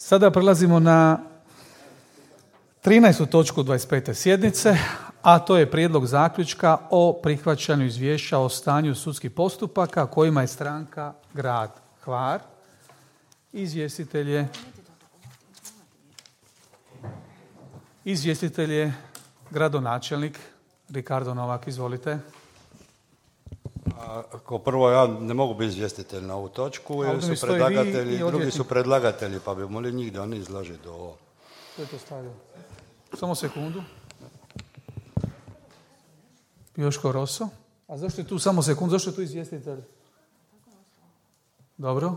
Sada prelazimo na 13. točku 25. sjednice, a to je prijedlog zaključka o prihvaćanju izvješća o stanju sudskih postupaka kojima je stranka grad Hvar. Izvjestitelj je gradonačelnik Ricardo Novak. Izvolite. Kao prvo, ja ne mogu biti izvjestitelj na ovu točku, jer su predlagatelji, drugi su predlagatelji, pa bi molio njih da oni izlaže do ovo. Što je to stavio? Samo sekundu. Joško Roso. A zašto je tu samo sekundu? Zašto je tu izvjestitelj? Dobro.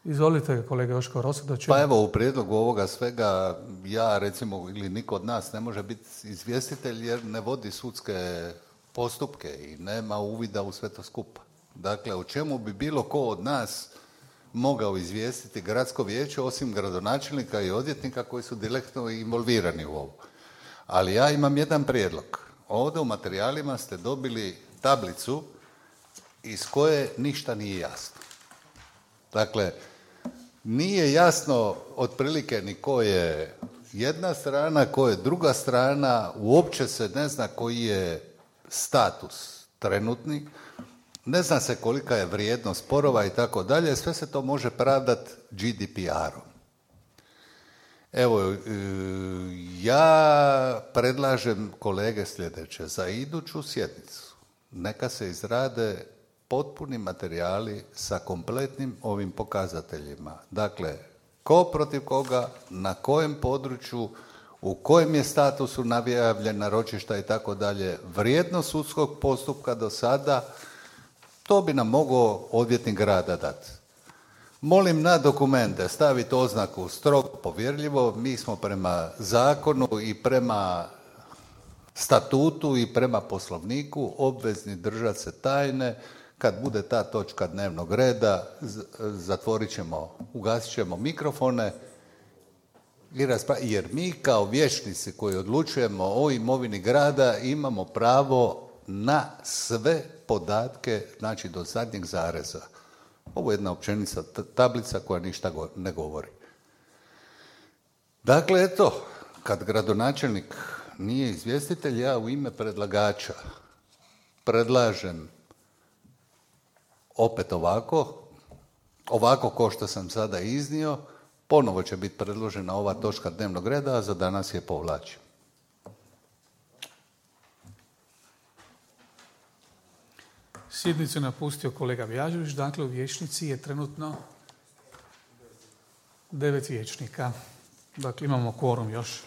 Izvolite, kolega Joško Roso, da ću... Pa evo, u prijedlogu ovoga svega, ja recimo, ili niko od nas ne može biti izvjestitelj jer ne vodi sudske postupke i nema uvida u sve to skupa. Dakle, o čemu bi bilo ko od nas mogao izvijestiti gradsko vijeće osim gradonačelnika i odvjetnika koji su direktno involvirani u ovo. Ali ja imam jedan prijedlog. Ovdje u materijalima ste dobili tablicu iz koje ništa nije jasno. Dakle, nije jasno otprilike ni ko je jedna strana, ko je druga strana, uopće se ne zna koji je status trenutni, ne zna se kolika je vrijednost sporova i tako dalje, sve se to može pravdati GDPR-om. Evo, ja predlažem kolege sljedeće, za iduću sjednicu neka se izrade potpuni materijali sa kompletnim ovim pokazateljima. Dakle, ko protiv koga, na kojem području, u kojem je statusu najavljena ročišta i tako dalje, vrijednost sudskog postupka do sada, to bi nam mogao odvjetnik grada dati. Molim na dokumente staviti oznaku strogo povjerljivo, mi smo prema zakonu i prema statutu i prema poslovniku obvezni držati se tajne. Kad bude ta točka dnevnog reda, ugasit ćemo mikrofone, jer mi kao vijećnici koji odlučujemo o imovini grada imamo pravo na sve podatke, znači do zadnjeg zareza. Ovo je jedna općenica tablica koja ništa ne govori. Dakle, eto, kad gradonačelnik nije izvjestitelj, ja u ime predlagača predlažem opet ovako ko što sam sada iznio, ponovo će biti predložena ova točka dnevnog reda, a za danas je povlačim. Sjednicu je napustio kolega Vjažović, dakle u vijećnici je trenutno 9 vijećnika. Dakle, imamo kvorum još.